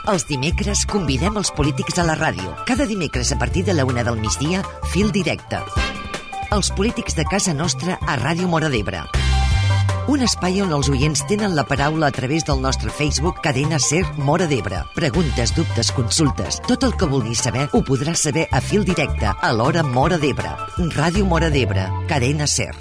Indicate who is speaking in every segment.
Speaker 1: Els dimecres convidem els polítics a la ràdio. Cada dimecres a partir de la 1 del migdia, Fil Directe. Els polítics de casa nostra a Ràdio Móra d'Ebre. Un espai on els oients tenen la paraula a través del nostre Facebook Cadena Ser Móra d'Ebre. Preguntes, dubtes, consultes, tot el que vulguis saber ho podràs saber a Fil Directe a l'hora Móra d'Ebre. Ràdio Móra d'Ebre, Cadena Ser.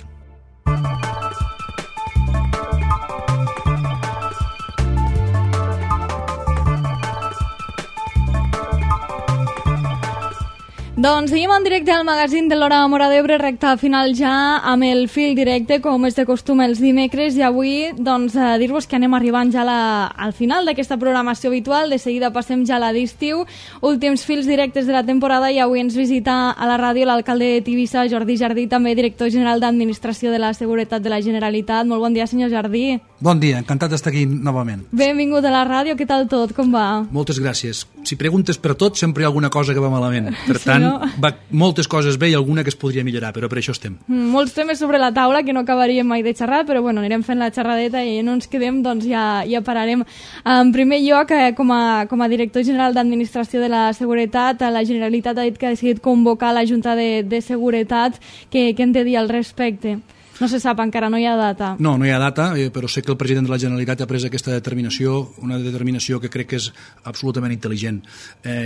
Speaker 2: Doncs seguim en directe al magazín de l'Hora Móra d'Ebre, recta final ja amb el Fil Directe, com és de costum els dimecres, i avui doncs dir-vos que anem arribant ja al final d'aquesta programació habitual. De seguida passem ja a l'estiu, últims fils directes de la temporada, i avui ens visita a la ràdio l'alcalde de Tivissa, Jordi Jardí, també director general d'Administració de la Seguretat de la Generalitat. Molt bon dia, senyor Jardí.
Speaker 3: Bon dia, encantat d'estar aquí novament.
Speaker 2: Benvingut a la ràdio, què tal tot, com va?
Speaker 3: Moltes gràcies. Si preguntes per tot, sempre hi ha alguna cosa que va malament. Per tant, va moltes coses bé i alguna que es podria millorar, però per això estem.
Speaker 2: Molts temes sobre la taula que no acabaríem mai de xerrar, però bueno, anirem fent la xerradeta i no ens quedem, doncs ja pararem. En primer lloc, com a director general d'Administració de la Seguretat, la Generalitat ha dit que ha decidit convocar la Junta de Seguretat. Què hem de dir al respecte? No se sap encara, no hi ha data.
Speaker 3: No hi ha data, però sé que el president de la Generalitat ha pres aquesta determinació, una determinació que crec que és absolutament intel·ligent.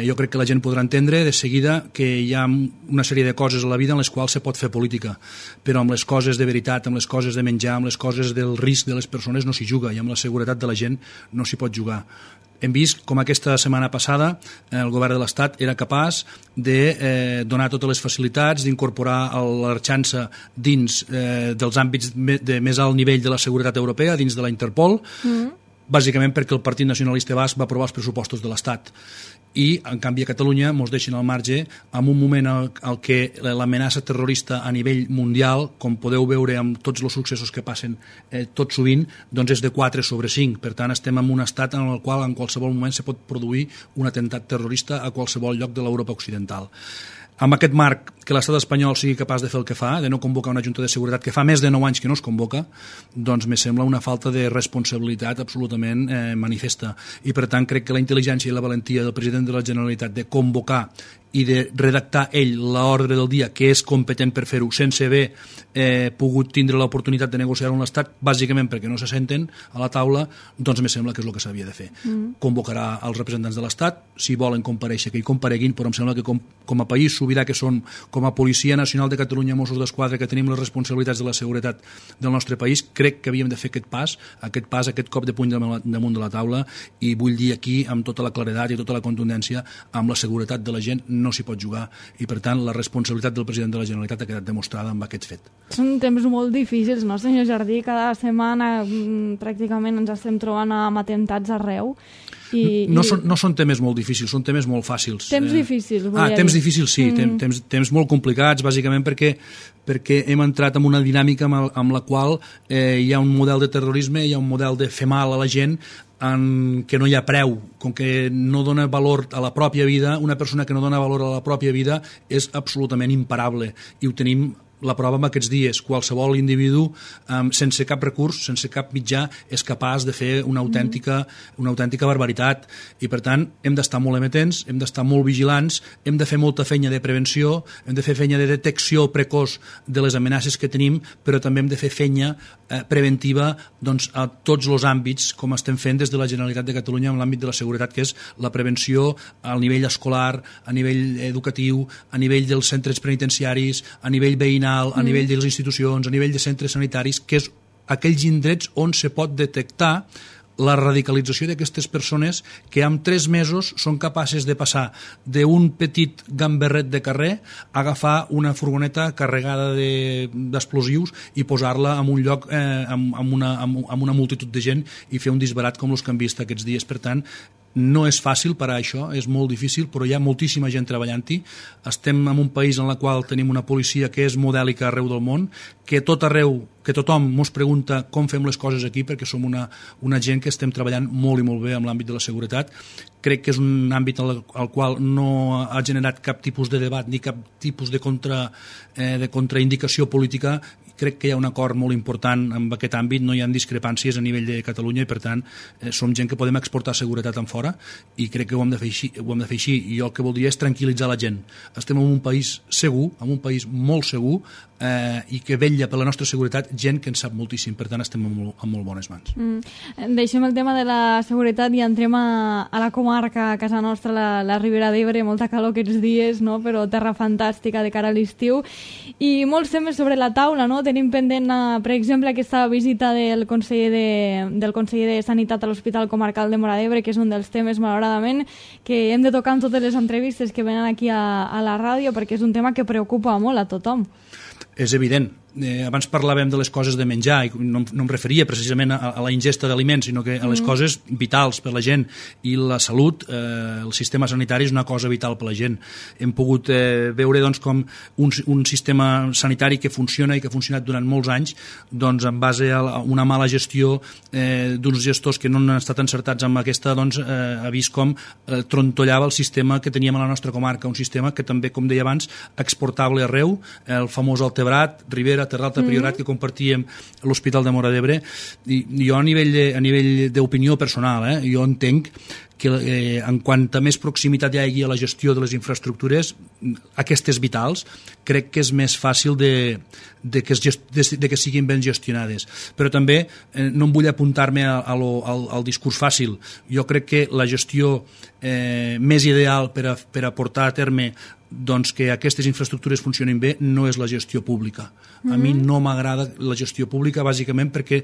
Speaker 3: Jo crec que la gent podrà entendre de seguida que hi ha una sèrie de coses a la vida en les quals se pot fer política, però amb les coses de veritat, amb les coses de menjar, amb les coses del risc de les persones no s'hi juga, i amb la seguretat de la gent no s'hi pot jugar. Hem vist com aquesta setmana passada el govern de l'Estat era capaç de donar totes les facilitats, d'incorporar l'Arxança dins dels àmbits de més alt nivell de la seguretat europea, dins de la Interpol, bàsicament perquè el Partit Nacionalista Basc va aprovar els pressupostos de l'Estat. I, en canvi, a Catalunya ens deixen al marge en un moment en què l'amenaça terrorista a nivell mundial, com podeu veure amb tots els successos que passen tot sovint, doncs és de 4/5. Per tant, estem en un estat en el qual en qualsevol moment se pot produir un atemptat terrorista a qualsevol lloc de l'Europa occidental. Amb aquest marc, que l'estat espanyol sigui capaç de fer el que fa, de no convocar una Junta de Seguretat que fa més de 9 anys que no es convoca, doncs me sembla una falta de responsabilitat absolutament manifesta. I per tant crec que la intel·ligència i la valentia del president de la Generalitat de convocar i de redactar ell l'ordre del dia, que és competent per fer-ho, sense haver pogut tindre l'oportunitat de negociar amb l'Estat, bàsicament perquè no se senten a la taula, doncs me sembla que és el que s'havia de fer. Convocarà els representants de l'Estat, si volen comparèixer que hi compareguin, però em sembla que com a país sobirà que som, com a Policia Nacional de Catalunya, Mossos d'Esquadra, que tenim les responsabilitats de la seguretat del nostre país, crec que havíem de fer aquest cop de puny damunt de la taula, i vull dir aquí amb tota la claredat i tota la contundència, amb la seguretat de la gent no s'hi pot jugar, i per tant la responsabilitat del president de la Generalitat ha quedat demostrada amb aquest fet.
Speaker 2: Són temps molt difícils, no, senyor Jardí? Cada setmana pràcticament ens estem trobant amb atemptats arreu.
Speaker 3: No són temes molt difícils, són temes molt fàcils.
Speaker 2: Temps difícils, volia dir.
Speaker 3: Temps difícils, sí, temps molt complicats, bàsicament perquè hem entrat en una dinàmica amb la qual hi ha un model de terrorisme, hi ha un model de fer mal a la gent en què no hi ha preu, com que no dona valor a la pròpia vida. Una persona que no dona valor a la pròpia vida és absolutament imparable, i ho tenim la prova amb aquests dies. Qualsevol individu sense cap recurs, sense cap mitjà, és capaç de fer una autèntica barbaritat, i per tant hem d'estar molt amatents, hem d'estar molt vigilants, hem de fer molta feina de prevenció, hem de fer feina de detecció precoç de les amenaces que tenim, però també hem de fer feina preventiva doncs, a tots els àmbits, com estem fent des de la Generalitat de Catalunya en l'àmbit de la seguretat, que és la prevenció al nivell escolar, a nivell educatiu, a nivell dels centres penitenciaris, a nivell veïnal, a nivell de les institucions, a nivell de centres sanitaris, que és aquells indrets on se pot detectar la radicalització d'aquestes persones que en 3 mesos són capaces de passar d'un petit gamberret de carrer a agafar una furgoneta carregada d'explosius i posar-la en un lloc amb una multitud de gent i fer un disbarat com els que hem vist aquests dies. Per tant, no és fàcil parar això, és molt difícil, però hi ha moltíssima gent treballant-hi. Estem en un país en el qual tenim una policia que és modèlica arreu del món, que tot arreu, que tothom ens pregunta com fem les coses aquí, perquè som una gent que estem treballant molt i molt bé en l'àmbit de la seguretat. Crec que és un àmbit al qual no ha generat cap tipus de debat ni cap tipus de contraindicació política. crec que hi ha un acord molt important en aquest àmbit, no hi ha discrepàncies a nivell de Catalunya i per tant som gent que podem exportar seguretat en fora i crec que ho hem de fer així, i jo el que voldria és tranquil·litzar la gent. Estem en un país segur, en un país molt segur, i que vetlla per la nostra seguretat gent que en sap moltíssim, per tant estem en molt bones mans.
Speaker 2: Deixem el tema de la seguretat i entrem a la comarca, a casa nostra, la Ribera d'Ebre, molta calor aquests dies, no? Però terra fantàstica de cara a l'estiu i molts temes sobre la taula, no? Tenim pendent, per exemple, aquesta visita del conseller de Sanitat a l'Hospital Comarcal de Móra d'Ebre, que és un dels temes, malauradament, que hem de tocar en totes les entrevistes que venen aquí a la ràdio, perquè és un tema que preocupa molt a tothom.
Speaker 3: És evident. Abans parlàvem de les coses de menjar i no em referia precisament a la ingesta d'aliments, sinó que a les coses vitals per la gent, i la salut, el sistema sanitari és una cosa vital per la gent. Hem pogut veure doncs, com un sistema sanitari que funciona i que ha funcionat durant molts anys, doncs, en base a una mala gestió d'uns gestors que no han estat encertats amb aquesta, doncs, ha vist com trontollava el sistema que teníem a la nostra comarca, un sistema que també, com deia abans, exportable arreu, el famós Altebrat, Ribera, Terra d'Alta Priorat, que compartíem a l'Hospital de Móra d'Ebre. I jo a nivell d'opinió personal, jo entenc que en quant a més proximitat hi hagi a la gestió de les infraestructures, aquestes vitals, crec que és més fàcil de que siguin ben gestionades. Però també no em vull apuntar-me al discurs fàcil. Jo crec que la gestió més ideal per a portar a terme doncs que aquestes infraestructures funcionin bé no és la gestió pública. A mi no m'agrada la gestió pública bàsicament perquè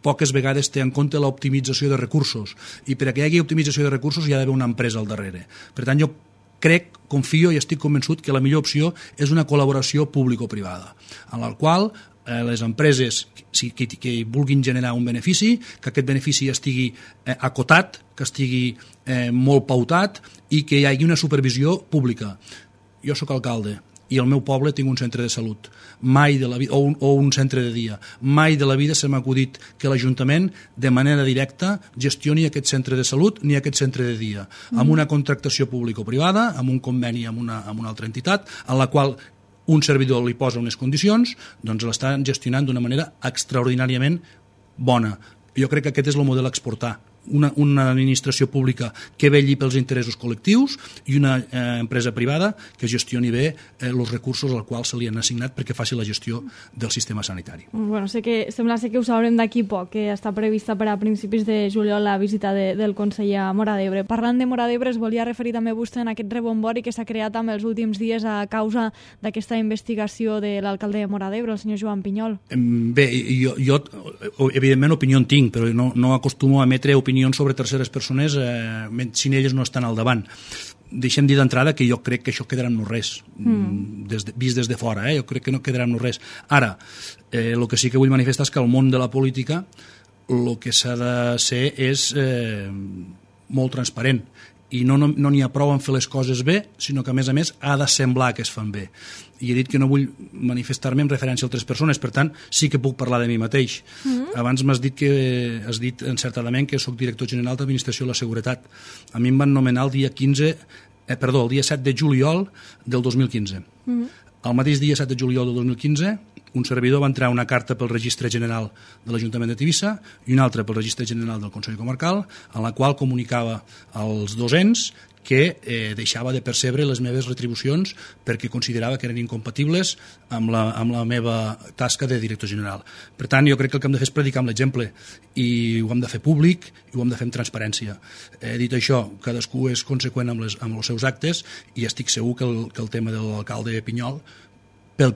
Speaker 3: poques vegades té en compte l'optimització de recursos, i per a que hi hagi optimització de recursos hi ha d'haver una empresa al darrere. Per tant, jo crec, confio i estic convençut que la millor opció és una col·laboració público-privada, en la qual les empreses que vulguin generar un benefici, que aquest benefici estigui acotat, que estigui molt pautat i que hi hagi una supervisió pública. Jo sóc alcalde i al meu poble tinc un centre de salut o un centre de dia. Mai de la vida se m'ha acudit que l'Ajuntament de manera directa gestioni aquest centre de salut ni aquest centre de dia, amb una contractació público-privada, amb un conveni amb una altra entitat, en la qual un servidor li posa unes condicions, doncs l'estan gestionant d'una manera extraordinàriament bona. Jo crec que aquest és el model a exportar. Una administració pública que vetlli pels interessos col·lectius i una empresa privada que gestioni bé els recursos als quals se li han assignat perquè faci la gestió del sistema sanitari.
Speaker 2: Bueno, sembla que ho sabrem d'aquí poc, que està prevista per a principis de juliol la visita del conseller a Móra d'Ebre. Parlant de Móra d'Ebre, es volia referir també vostè en aquest rebombori que s'ha creat amb els últims dies a causa d'aquesta investigació de l'alcalde de Móra d'Ebre, el senyor Joan Pinyol.
Speaker 3: Bé, jo evidentment opinió en tinc, però no acostumo a emetre opinions sobre terceres persones si elles no estan al davant. Deixem dir d'entrada que jo crec que això quedarà en no res, vist des de fora, jo crec que no quedarà en no res. Ara, el que sí que vull manifestar és que al món de la política el que s'ha de ser és molt transparent, i no n'hi ha prou en fer les coses bé, sinó que a més ha de semblar que es fan bé. I he dit que no vull manifestar-me en referència a altres persones, per tant sí que puc parlar de mi mateix. Abans has dit encertadament que sóc director general d'Administració de la Seguretat. A mi em van nomenar el dia 7 de juliol del 2015. El mateix dia 7 de juliol del 2015 un servidor va entrar una carta pel Registre General de l'Ajuntament de Tivissa i una altra pel Registre General del Consell Comarcal, en la qual comunicava als dos ens que deixava de percebre les meves retribucions perquè considerava que eren incompatibles amb la meva tasca de director general. Per tant, jo crec que el que hem de fer és predicar amb l'exemple, i ho hem de fer públic i ho hem de fer amb transparència. Dit això, cadascú és conseqüent amb els seus actes, i estic segur que el tema de l'alcalde Pinyol, pel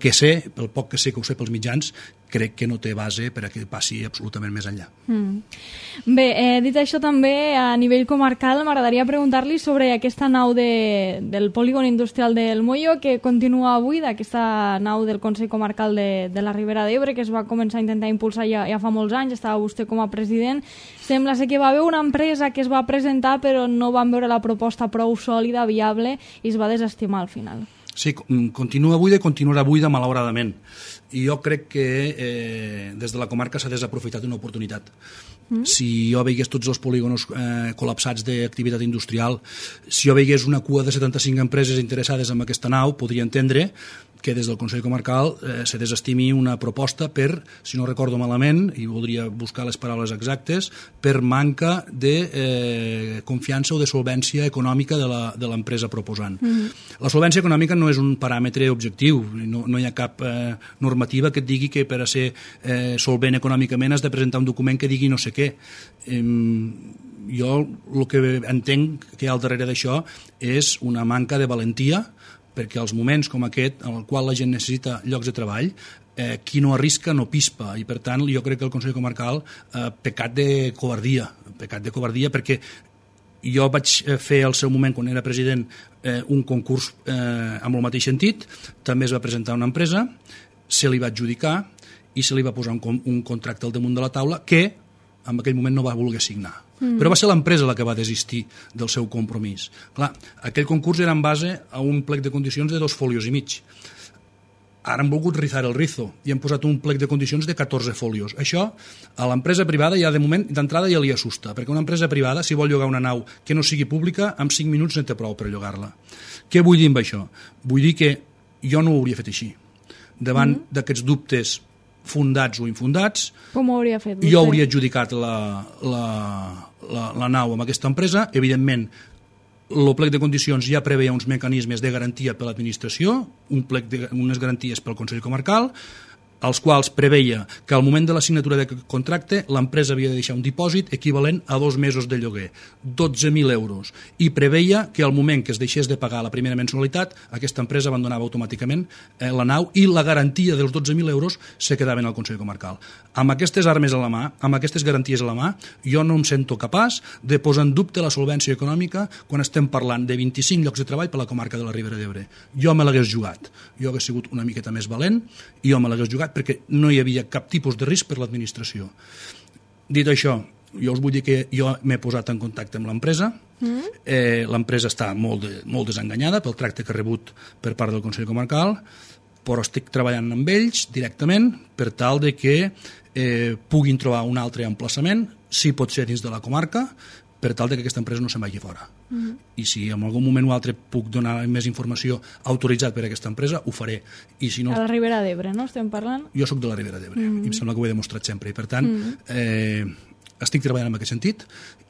Speaker 3: poc que sé, que ho sé pels mitjans, crec que no té base per a que passi absolutament més enllà.
Speaker 2: Bé, dit això també, a nivell comarcal, m'agradaria preguntar-li sobre aquesta nau del polígon industrial del Molló, que continua avui, d'aquesta nau del Consell Comarcal de la Ribera d'Ebre, que es va començar a intentar impulsar ja fa molts anys, estava vostè com a president. Sembla ser que va haver una empresa que es va presentar, però no van veure la proposta prou sòlida, viable, i es va desestimar al final.
Speaker 3: Sí, continua buida i continuarà buida malauradament. I jo crec que des de la comarca s'ha desaprofitat una oportunitat. Si jo veigués tots els polígonos col·lapsats d'activitat industrial, si jo veigués una cua de 75 empreses interessades en aquesta nau, podria entendre que des del Consell Comarcal se desestimi una proposta per, si no recordo malament, i voldria buscar les paraules exactes, per manca de confiança o de solvència econòmica de l'empresa proposant. La solvència econòmica no és un paràmetre objectiu, no hi ha cap normativa que et digui que per a ser solvent econòmicament has de presentar un document que digui no sé què. Jo el que entenc que hi ha al darrere d'això és una manca de valentia, perquè als moments com aquest, en el qual la gent necessita llocs de treball, qui no arrisca no pispa, i per tant jo crec que el Consell Comarcal pecat de covardia, perquè jo vaig fer al seu moment, quan era president, un concurs amb el mateix sentit, també es va presentar una empresa, se li va adjudicar i se li va posar un contracte al damunt de la taula que en aquell moment no va voler signar. Però va ser l'empresa la que va desistir del seu compromís. Clar, aquell concurs era en base a un plec de condicions de 2 folios i mig. Ara han volgut rizar el rizo i han posat un plec de condicions de 14 folios. Això a l'empresa privada ja de moment d'entrada ja li assusta, perquè una empresa privada, si vol llogar una nau que no sigui pública, en 5 minuts no té prou per llogar-la. Què vull dir amb això? Vull dir que jo no ho hauria fet així. Davant d'aquests dubtes fundats o infundats,
Speaker 2: com ho hauria fet?
Speaker 3: Jo hauria adjudicat la nau amb aquesta empresa. Evidentment, el plec de condicions ja preveia uns mecanismes de garantia per l'administració, unes garanties pel Consell Comarcal, els quals preveia que al moment de la signatura d'aquest contracte l'empresa havia de deixar un dipòsit equivalent a 2 mesos de lloguer, 12.000 euros, i preveia que al moment que es deixés de pagar la primera mensualitat aquesta empresa abandonava automàticament la nau i la garantia dels 12.000 euros se quedava en el Consell Comarcal. Amb aquestes armes a la mà, amb aquestes garanties a la mà, jo no em sento capaç de posar en dubte la solvència econòmica quan estem parlant de 25 llocs de treball per la comarca de la Ribera d'Ebre. Jo me l'hagués jugat, jo hagués sigut una miqueta més valent i jo me l'hagués jugat perquè no hi havia cap tipus de risc per l'administració. Dit això, jo us vull dir que jo m'he posat en contacte amb l'empresa. L'empresa està molt desenganyada pel tracte que ha rebut per part del Consell Comarcal, però estic treballant amb ells directament per tal de que puguin trobar un altre emplaçament, si pot ser dins de la comarca, per tal de que aquesta empresa no se'n vagi fora. I si en algun moment o altre puc donar més informació autoritzat per a aquesta empresa, ho faré. I si no...
Speaker 2: A la Ribera d'Ebre, no estem parlant?
Speaker 3: Jo sóc de la Ribera d'Ebre, i em sembla que ho he demostrat sempre. I per tant, estic treballant en aquest sentit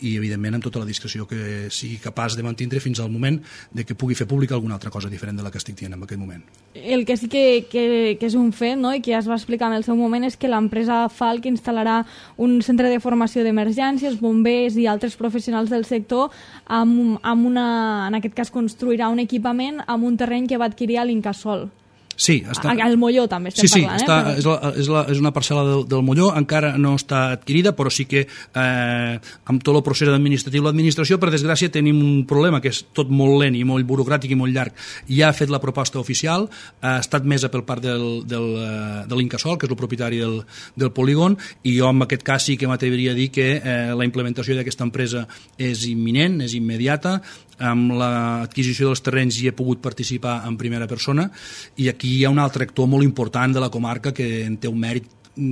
Speaker 3: i, evidentment, amb tota la discreció que sigui capaç de mantindre fins al moment de que pugui fer pública alguna altra cosa diferent de la que estic dient en aquest moment.
Speaker 2: El que sí que és un fet, no?, i que ja es va explicar en el seu moment, és que l'empresa Falk instal·larà un centre de formació d'emergències, bombers i altres professionals del sector en aquest cas construirà un equipament amb un terreny que va adquirir a l'Incasòl.
Speaker 3: Sí,
Speaker 2: al Molló també estem parlant.
Speaker 3: És una parcel·la del Molló, encara no està adquirida, però sí que amb tot el procés administratiu, l'administració, per desgràcia, tenim un problema que és tot molt lent i molt burocràtic i molt llarg. Ja ha fet la proposta oficial, ha estat mesa per part de l'Incasòl, que és el propietari del polígon, i jo en aquest cas sí que m'atreviria a dir que la implementació d'aquesta empresa és imminent, és immediata. Amb l'adquisició dels terrenys hi he pogut participar en primera persona, i aquí hi ha un altre actor molt important de la comarca que en té un mèrit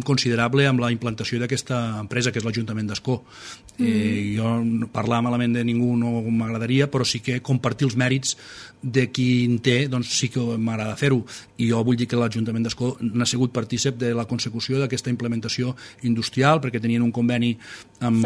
Speaker 3: considerable amb la implantació d'aquesta empresa, que és l'Ajuntament d'Ascó. Jo parlar malament de ningú no m'agradaria, però sí que compartir els mèrits de qui en té, doncs sí que m'agrada fer-ho, i jo vull dir que l'Ajuntament d'Ascó n'ha sigut partícip de la consecució d'aquesta implementació industrial, perquè tenien un conveni amb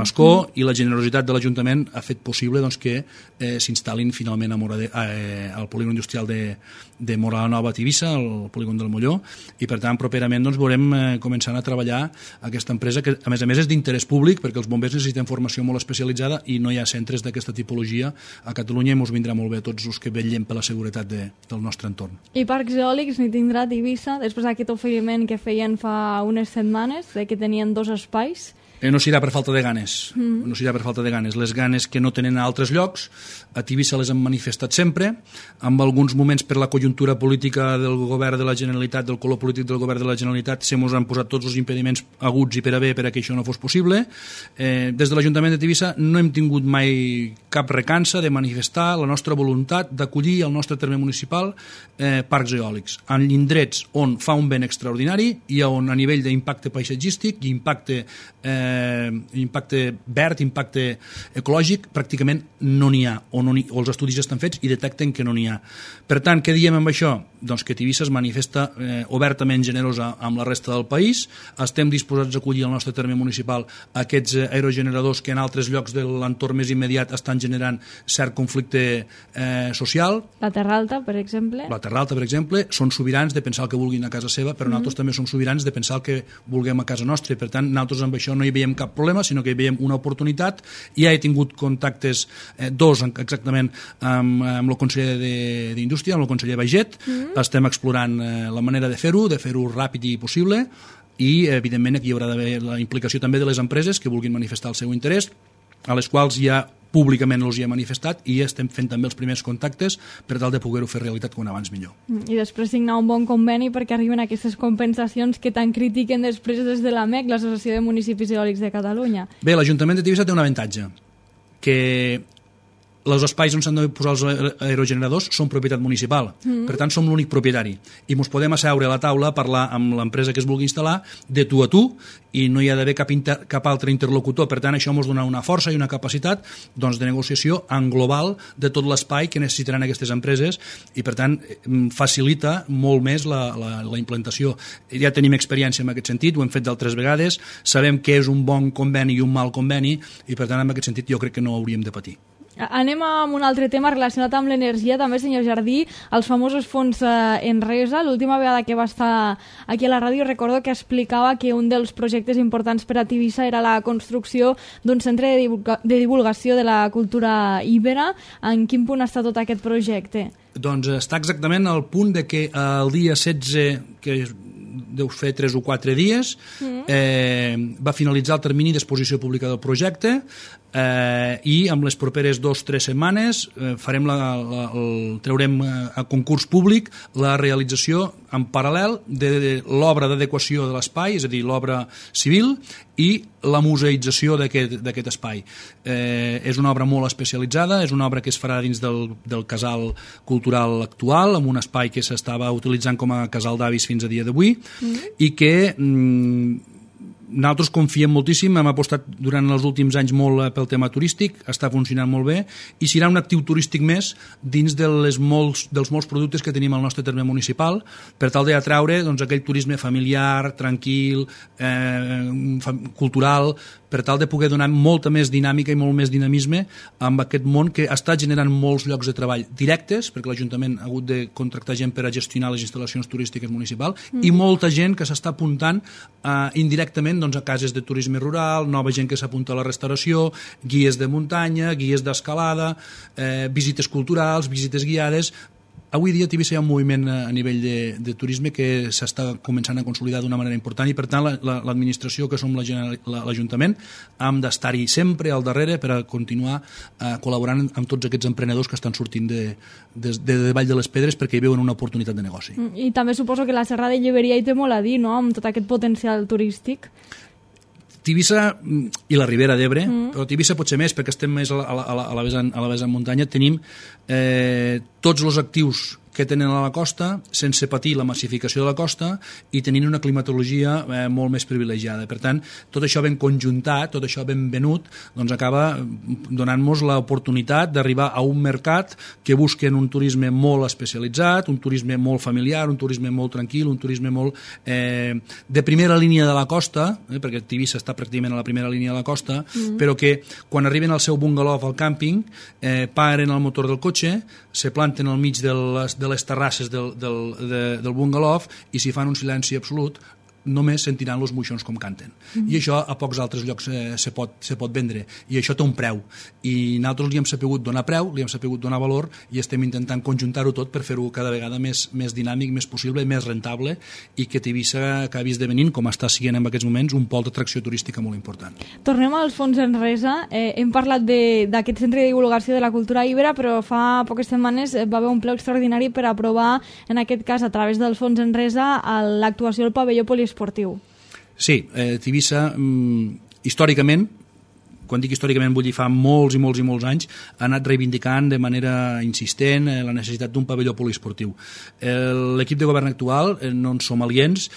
Speaker 3: Ascó, i la generositat de l'Ajuntament ha fet possible que s'instal·lin finalment al polígon industrial de Mora la Nova a Tivissa, al polígon del Molló, i per tant properament veurem començant a treballar aquesta empresa, que a més és d'interès públic, perquè els bombers necessiten formació molt especialitzada i no hi ha centres d'aquesta tipologia a Catalunya, i ens vindrà molt bé a tots els que vetllem per la seguretat del nostre entorn.
Speaker 2: I parcs eòlics n'hi tindrà a Tivissa, després d'aquest oferiment que feien fa unes setmanes, que tenien 2 espais?
Speaker 3: No serà per falta de ganes, no serà per falta de ganes. Les ganes que no tenen a altres llocs, a Tivissa les han manifestat sempre, amb alguns moments per la conjuntura política del govern de la Generalitat, del color polític del govern de la Generalitat, se mos han posat tots els impediments aguts i per a bé per a que això no fos possible. Des de l'Ajuntament de Tivissa no hem tingut mai cap recança de manifestar la nostra voluntat d'acollir al nostre terme municipal parcs eòlics, en indrets on fa un vent extraordinari i on a nivell d'impacte paisatgístic i impacte verd, impacte ecològic, pràcticament no n'hi ha, o els estudis estan fets i detecten que no n'hi ha. Per tant, què diem amb això? Doncs que Tivissa es manifesta obertament generosa amb la resta del país, estem disposats a acollir al nostre terme municipal aquests aerogeneradors que en altres llocs de l'entorn més immediat estan generant cert conflicte social.
Speaker 2: La Terra Alta, per exemple.
Speaker 3: La Terra Alta, per exemple, són sobirans de pensar el que vulguin a casa seva, però nosaltres també som sobirans de pensar el que vulguem a casa nostra, i per tant nosaltres amb això no hi veiem cap problema, sinó que hi veiem una oportunitat. Ja he tingut contactes, dos exactament, amb el conseller d'Indústria, amb el conseller Baiget. Estem explorant la manera de fer-ho ràpid i possible, i evidentment aquí hi haurà d'haver la implicació també de les empreses que vulguin manifestar el seu interès, a les quals ja públicament els hi he manifestat, i estem fent també els primers contactes per tal de poder-ho fer realitat com abans millor.
Speaker 2: I després signar un bon conveni perquè arriben aquestes compensacions que tant critiquen després des de l'AMEC, l'Associació de Municipis Eòlics de Catalunya.
Speaker 3: Bé, l'Ajuntament de Tivissa té un avantatge, que els espais on s'han de posar els aerogeneradors són propietat municipal. Per tant, som l'únic propietari. I ens podem asseure a la taula a parlar amb l'empresa que es vulgui instal·lar de tu a tu, i no hi ha d'haver cap altre interlocutor. Per tant, això ens dona una força i una capacitat de negociació en global de tot l'espai que necessitaran aquestes empreses, i per tant facilita molt més la implantació. Ja tenim experiència en aquest sentit, ho hem fet d'altres vegades, sabem què és un bon conveni i un mal conveni, i per tant en aquest sentit jo crec que no hauríem de patir.
Speaker 2: Anem amb un altre tema relacionat amb l'energia, també, senyor Jardí, els famosos fons Enresa. L'última vegada que va estar aquí a la ràdio recordo que explicava que un dels projectes importants per a Tivissa era la construcció d'un centre de divulgació de la cultura íbera. En quin punt està tot aquest projecte?
Speaker 3: Doncs està exactament al punt de que el dia 16, que deu fer 3 o 4 dies, va finalitzar el termini d'exposició pública del projecte, i amb les properes 2 o 3 setmanes traurem a concurs públic la realització en paral·lel de l'obra d'adequació de l'espai, és a dir, l'obra civil, i la museïtzació d'aquest espai. És una obra molt especialitzada, és una obra que es farà dins del casal cultural actual, amb un espai que s'estava utilitzant com a casal d'avis fins a dia d'avui, i que nosaltres confiem moltíssim, hem apostat durant els últims anys molt pel tema turístic, està funcionant molt bé, i serà un actiu turístic més dins dels molts productes que tenim al nostre terme municipal, per tal d'atraure aquell turisme familiar, tranquil, cultural, per tal de poder donar molta més dinàmica i molt més dinamisme amb aquest món que està generant molts llocs de treball directes, perquè l'Ajuntament ha hagut de contractar gent per a gestionar les instal·lacions turístiques municipals, i molta gent que s'està apuntant indirectament a cases de turisme rural, nova gent que s'apunta a la restauració, guies de muntanya, guies d'escalada, visites culturals, visites guiades. Avui dia a Tivissa hi ha un moviment a nivell de turisme que s'està començant a consolidar d'una manera important, i per tant l'administració, que som l'Ajuntament, hem d'estar-hi sempre al darrere per a continuar col·laborant amb tots aquests emprenedors que estan sortint de Vall de les Pedres perquè hi veuen una oportunitat de negoci.
Speaker 2: I també suposo que la Serra de Lleberia hi té molt a dir, no?, amb tot aquest potencial turístic.
Speaker 3: Tivissa i la Ribera d'Ebre, però Tivissa potser més perquè estem més a la vessant muntanya, tenim tots els actius que tenen a la costa sense patir la massificació de la costa i tenint una climatologia molt més privilegiada. Per tant, tot això ben conjuntat, tot això ben venut, doncs acaba donant-nos l'oportunitat d'arribar a un mercat que busquen un turisme molt especialitzat, un turisme molt familiar, un turisme molt tranquil, un turisme molt de primera línia de la costa, perquè Tivissa està pràcticament a la primera línia de la costa, però que quan arriben al seu bungalow al càmping, paren el motor del cotxe, se planten al mig de les terrasses del bungalow i s'hi fan un silenci absolut, només sentiran els moixons com canten. I això a pocs altres llocs se pot vendre, i això té un preu, i nosaltres li hem sapigut donar preu, li hem sapigut donar valor, i estem intentant conjuntar-ho tot per fer-ho cada vegada més dinàmic, més possible, més rentable, i que Tivissa acabi esdevenint, com està sent en aquests moments, un pol d'atracció turística molt important.
Speaker 2: Tornem als fons Enresa. Hem parlat d'aquest centre de divulgació de la cultura íbera, però fa poques setmanes va haver un ple extraordinari per aprovar, en aquest cas a través del fons Enresa, l'actuació del pavelló poliesportiu.
Speaker 3: Sí, Tivissa, històricament, quan dic històricament vull dir fa molts i molts i molts anys, ha anat reivindicant de manera insistent la necessitat d'un pavelló poliesportiu. L'equip de govern actual no en som aliens,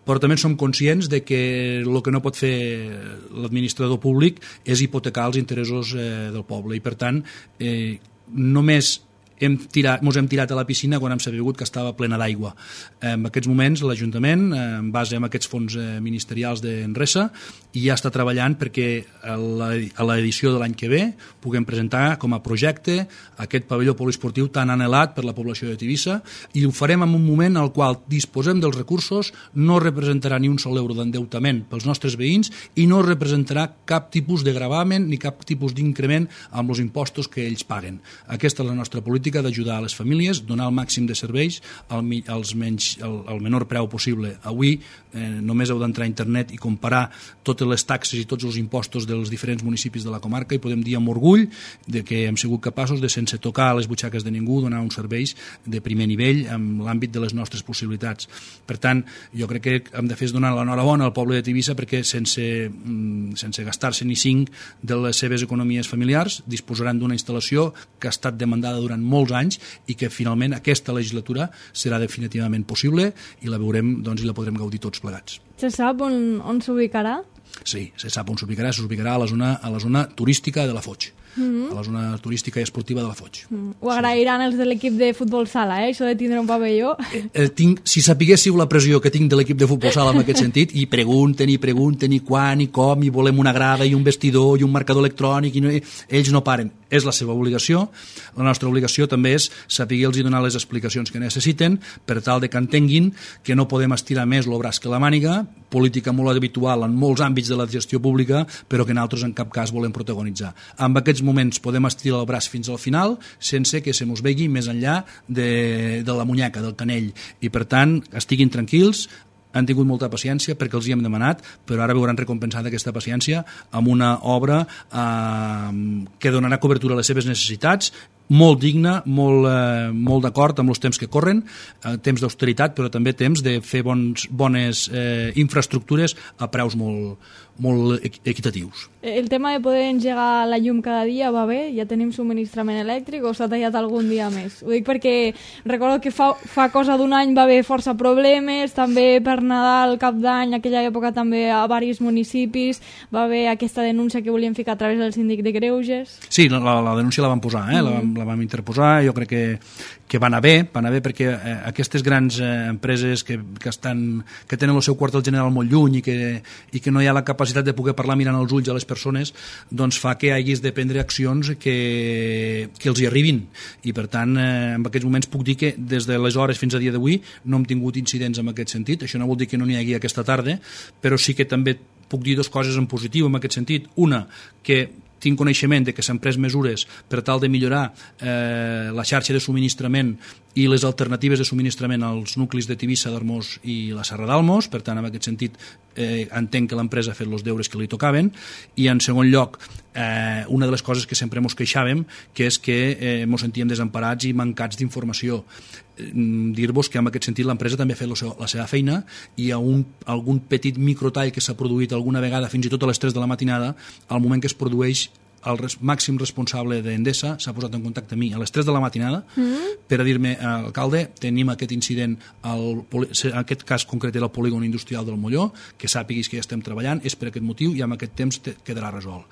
Speaker 3: però també som conscients de que el que no pot fer l'administrador públic és hipotecar els interessos del poble, i per tant només ens hem tirat a la piscina quan hem sabut que estava plena d'aigua. En aquests moments l'Ajuntament, en base a aquests fons ministerials d'Enresa, ja està treballant perquè a l'edició de l'any que ve puguem presentar com a projecte aquest pavelló poliesportiu tan anhelat per la població de Tivissa, i ho farem en un moment en el qual disposem dels recursos, no representarà ni un sol euro d'endeutament pels nostres veïns i no representarà cap tipus de gravamen ni cap tipus d'increment amb els impostos que ells paguen. Aquesta és la nostra política d'ajudar a les famílies, donar el màxim de serveis al menor preu possible. Avui només heu d'entrar a internet i comparar totes les taxes i tots els impostos dels diferents municipis de la comarca i podem dir amb orgull de que hem sigut capaços de, sense tocar les butxaques de ningú, donar uns serveis de primer nivell en l'àmbit de les nostres possibilitats. Per tant, jo crec que hem de fer és donar l'enhorabona al poble de Tivissa perquè sense gastar-se ni 5 de les seves economies familiars disposaran d'una instal·lació que ha estat demandada durant molts anys i que finalment aquesta legislatura serà definitivament possible i la veurem, doncs, i la podrem gaudir tots plegats.
Speaker 2: Se sap on s'ubicarà?
Speaker 3: Sí, se sap on s'ubicarà. S'ubicarà a la zona turística de la Foix. A la zona turística i esportiva de la Foix.
Speaker 2: Ho agrairan els de l'equip de futbol sala, això de tindre un pavelló.
Speaker 3: Si sapiguéssiu la pressió que tinc de l'equip de futbol sala en aquest sentit, i pregunten i quan i com, i volem una grada i un vestidor i un marcador electrònic, ells no paren. És la seva obligació. La nostra obligació també és saber-los i donar les explicacions que necessiten per tal de que entenguin que no podem estirar més el braç que la màniga, política molt habitual en molts àmbits de la gestió pública, però que nosaltres en cap cas volem protagonitzar. En aquests moments podem estirar el braç fins al final sense que se mos vegi més enllà de la munyeca, del canell. I per tant, estiguin tranquils, han tingut molta paciència perquè els hi hem demanat, però ara veuran recompensada aquesta paciència amb una obra que donarà cobertura a les seves necessitats, molt digna, molt d'acord amb els temps que corren, temps d'austeritat, però també temps de fer bones infraestructures a preus molt equitatius.
Speaker 2: El tema de poder engegar la llum cada dia va bé? Ja tenim subministrament elèctric o s'ha tallat algun dia més? Ho dic perquè recordo que fa cosa d'un any va haver força problemes, també per Nadal, Cap d'Any, aquella època també a diversos municipis va haver aquesta denúncia que volien ficar a través del síndic de Greuges.
Speaker 3: Sí, la denúncia la vam posar, la vam interposar, jo crec que va anar bé perquè aquestes grans empreses que tenen el seu quartel general molt lluny i que no hi ha la capacitat de poder parlar mirant els ulls a les persones, doncs fa que hagis de prendre accions que els hi arribin. I per tant, en aquests moments puc dir que des de les hores fins a dia d'avui no hem tingut incidents en aquest sentit. Això no vol dir que no n'hi hagi aquesta tarda, però sí que també puc dir dues coses en positiu en aquest sentit. Una, que tinc coneixement de que s'han pres mesures per tal de millorar la xarxa de subministrament i les alternatives de subministrament als nuclis de Tivissa, d'Armós i la Serra d'Almos. Per tant, en aquest sentit, entenc que l'empresa ha fet els deures que li tocaven. I, en segon lloc, una de les coses que sempre ens queixàvem, que és que ens sentíem desemparats i mancats d'informació. Dir-vos que en aquest sentit l'empresa també ha fet la seva feina i algun petit microtall que s'ha produït alguna vegada, fins i tot a les 3 de la matinada, al moment que es produeix, el màxim responsable d'Endesa s'ha posat en contacte amb mi a les 3 de la matinada per a dir-me, alcalde, tenim aquest incident, en aquest cas concret era el polígon industrial del Molló, que sàpiguis que ja estem treballant, és per aquest motiu i amb aquest temps quedarà resolt.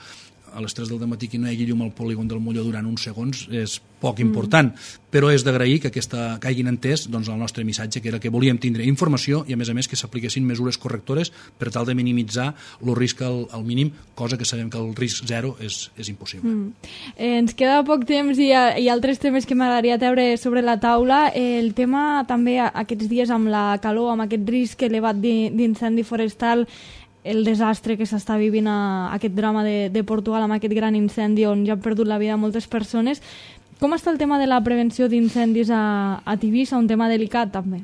Speaker 3: A les 3 del matí que no hi hagi llum al polígon del Molló durant uns segons és poc important, però és d'agrair que hagin entès el nostre missatge, que era que volíem tindre informació i a més que s'apliquessin mesures correctores per tal de minimitzar el risc al mínim, cosa que sabem que el risc zero és impossible.
Speaker 2: Ens queda poc temps i altres temes que m'agradaria treure sobre la taula. El tema també aquests dies amb la calor, amb aquest risc elevat d'incendi forestal, el desastre que s'està vivint aquest drama de Portugal amb aquest gran incendi on ja han perdut la vida moltes persones. Com està el tema de la prevenció d'incendis a Tivissa, un tema delicat també?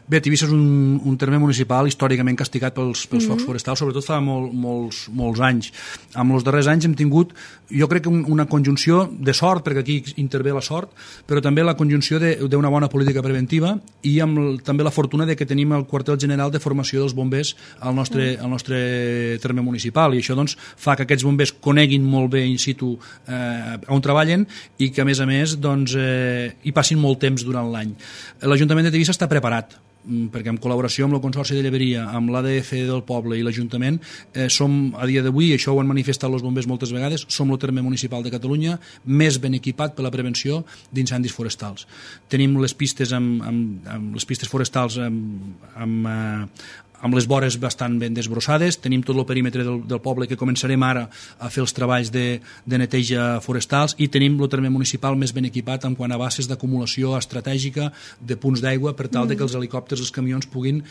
Speaker 3: Bé, Tivissa és un terme municipal històricament castigat pels focs forestals, sobretot fa molts anys. Amb els darrers anys hem tingut, jo crec que una conjunció de sort, perquè aquí intervé la sort, però també la conjunció d'una bona política preventiva i amb també la fortuna de que tenim el quartel general de formació dels bombers al nostre terme municipal, i això doncs, fa que aquests bombers coneguin molt bé in situ on treballen i que a més doncs, hi passin molt temps durant l'any. L'Ajuntament de Tivissa està preparat, perquè en col·laboració amb el Consorci de Lleberia, amb l'ADF del poble i l'Ajuntament, som a dia d'avui, això ho han manifestat els bombers moltes vegades, som el terme municipal de Catalunya més ben equipat per la prevenció d'incendis forestals. Tenim les pistes les pistes forestals amb les vores bastant ben desbrossades, tenim tot el perímetre del poble que començarem ara a fer els treballs de neteja forestals, i tenim el terme municipal més ben equipat en quant a bases d'acumulació estratègica de punts d'aigua per tal de que els helicòpters, els camions puguin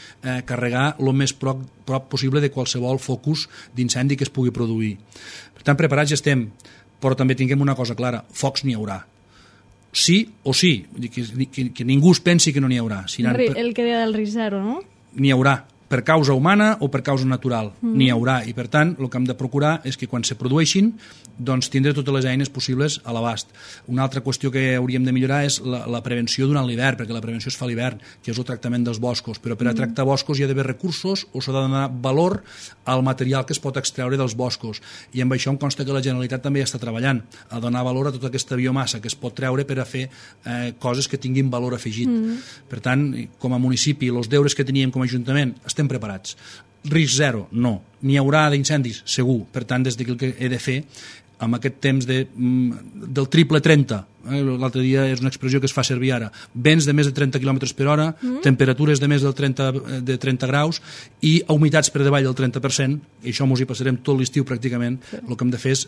Speaker 3: carregar el més prop possible de qualsevol focus d'incendi que es pugui produir. Per tant, preparats ja estem, però també tinguem una cosa clara, focs n'hi haurà. Sí o sí, que ningú es pensi que no n'hi haurà.
Speaker 2: El que deia del risc zero, no?
Speaker 3: N'hi haurà, per causa humana o per causa natural, n'hi haurà, i per tant el que hem de procurar és que quan se produeixin doncs tindre totes les eines possibles a l'abast. Una altra qüestió que hauríem de millorar és la prevenció durant l'hivern, perquè la prevenció es fa a l'hivern, que és el tractament dels boscos, però per a tractar boscos hi ha d'haver recursos o s'ha de donar valor al material que es pot extreure dels boscos, i amb això em consta que la Generalitat també ja està treballant a donar valor a tota aquesta biomassa que es pot treure per a fer coses que tinguin valor afegit. Per tant, com a municipi, els deures que teníem com a Ajuntament, estem preparats. Risc zero, no. N'hi haurà d'incendis, segur. Per tant, des d'aquí el que he de fer, amb aquest temps del triple 30, l'altre dia és una expressió que es fa servir ara, vents de més de 30 km per hora, temperatures de més de 30 graus i humitats per davall del 30%, i això ens hi passarem tot l'estiu pràcticament. El que hem de fer és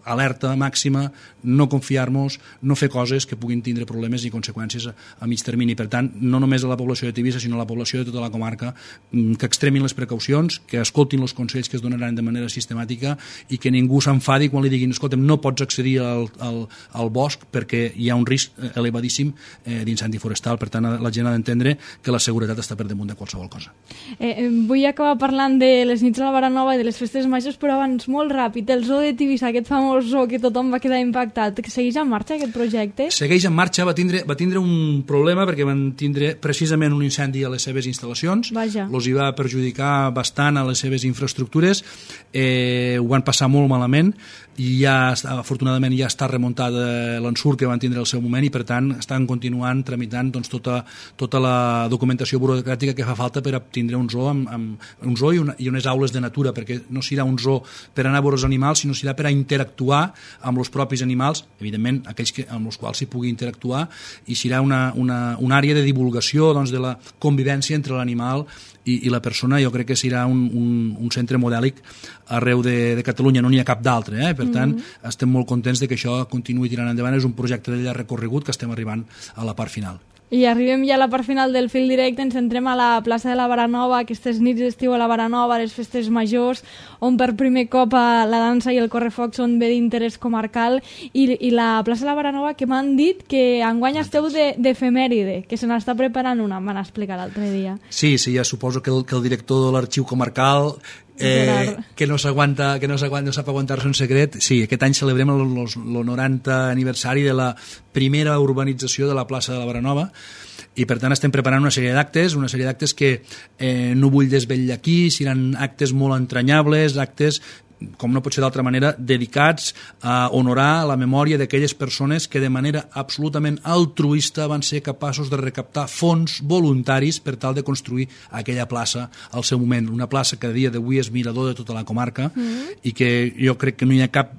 Speaker 3: alerta màxima, no confiar-nos, no fer coses que puguin tindre problemes i conseqüències a mig termini. Per tant, no només a la població de Tivissa, sinó a la població de tota la comarca, que extremin les precaucions, que escoltin els consells que es donaran de manera sistemàtica i que ningú s'enfadi quan li diguin escolta'm, no pots accedir al bosc perquè hi ha un risc elevadíssim d'incendi forestal. Per tant, la gent ha d'entendre que la seguretat està per damunt de qualsevol cosa.
Speaker 2: Vull acabar parlant de les nits a la Baranova i de les festes majors, però abans, molt ràpid, el zoo de Tivissa, aquest famós zoo que tothom va quedar impactat, que segueix en marxa aquest projecte?
Speaker 3: Segueix en marxa, va tindre un problema perquè van tindre precisament un incendi a les seves instal·lacions.
Speaker 2: Vaja.
Speaker 3: Els hi va perjudicar bastant a les seves infraestructures, ho van passar molt malament i ja, afortunadament, ja està remuntat l'ensurt que van tindre al seu moment, i per tant estan continuant tramitant doncs, tota la documentació burocràtica que fa falta per tindre un zoo, un zoo i unes aules de natura, perquè no serà un zoo per anar a veure els animals, sinó serà per a interactuar amb els propis animals, evidentment aquells amb els quals s'hi pugui interactuar, i serà una àrea de divulgació doncs, de la convivència entre l'animal i la persona. Jo crec que serà un centre modèlic arreu de Catalunya, no n'hi ha cap d'altre, per tant estem molt contents de que això continuï tirant endavant. És un projecte de llarg recorregut que estem arribant a la part final.
Speaker 2: I arribem ja a la part final del fil directe, ens centrem a la plaça de la Baranova, aquestes nits d'estiu a la Baranova, les festes majors, on per primer cop la dansa i el correfoc són bé d'interès comarcal, i la plaça de la Baranova, que m'han dit que enguany esteu d'efemèride, que se n'està preparant una, em van explicar l'altre dia.
Speaker 3: Sí, ja suposo que el director de l'arxiu comarcal que no sap aguantar-se un secret. Sí, aquest any celebrem el 90 aniversari de la primera urbanització de la plaça de la Baranova, i per tant estem preparant una sèrie d'actes que no vull desvetllar aquí, seran actes molt entranyables, actes, com no pot ser d'altra manera, dedicats a honorar la memòria d'aquelles persones que de manera absolutament altruista van ser capaços de recaptar fons voluntaris per tal de construir aquella plaça al seu moment. Una plaça que a dia d'avui és mirador de tota la comarca i que jo crec que no hi ha cap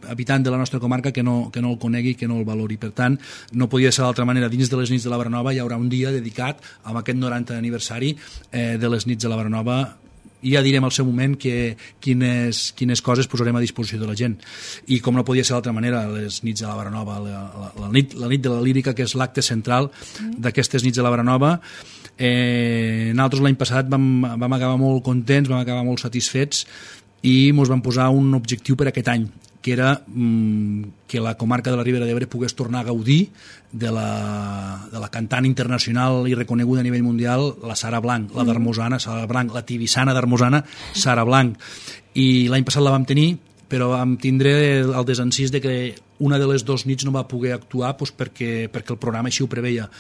Speaker 3: habitant de la nostra comarca que no el conegui, que no el valori. Per tant, no podia ser d'altra manera. Dins de les nits de la Baranova hi haurà un dia dedicat a aquest 90 aniversari de les nits de la Baranova, i ja direm al seu moment quines coses posarem a disposició de la gent. I com no podia ser d'altra manera, les nits de la Baranova, la nit de la lírica, que és l'acte central d'aquestes nits de la Baranova. Nosaltres l'any passat vam acabar molt contents, vam acabar molt satisfets, i ens vam posar un objectiu per aquest any, que era que la comarca de la Ribera d'Ebre pogués tornar a gaudir de la cantant internacional i reconeguda a nivell mundial, la Sara Blanc, la d'Armosana, Sara Blanc, la tibissana d'Armosana, Sara Blanc. I l'any passat la vam tenir, però vam tindre el desencís de que una de les 2 nits no va poder actuar perquè el programa així ho preveia.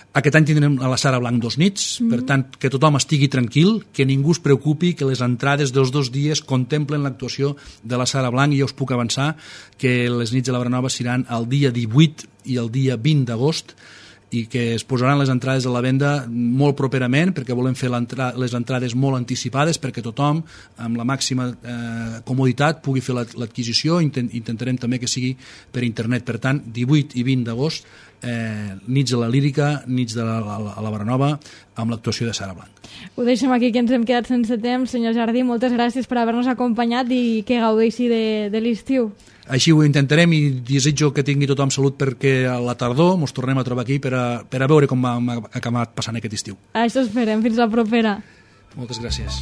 Speaker 3: Aquest any tindrem a la Sara Blanc 2 nits, per tant, que tothom estigui tranquil, que ningú es preocupi, que les entrades dels 2 dies contemplen l'actuació de la Sara Blanc, i ja us puc avançar que les nits de la Brenova seran el dia 18 i el dia 20 d'agost, i que es posaran les entrades a la venda molt properament, perquè volem fer les entrades molt anticipades perquè tothom, amb la màxima comoditat, pugui fer l'adquisició. Intentarem també que sigui per internet. Per tant, 18 i 20 d'agost, nits de la Lírica, nits de la Brenova, amb l'actuació de Sara Blanc.
Speaker 2: Ho deixem aquí, que ens hem quedat sense temps. Senyor Jardí, moltes gràcies per haver-nos acompanyat i que gaudeixi de l'estiu.
Speaker 3: Així ho intentarem, i desitjo que tingui tothom salut perquè a la tardor ens tornem a trobar aquí per a veure com ha acabat passant aquest estiu.
Speaker 2: Això esperem. Fins la propera.
Speaker 3: Moltes gràcies.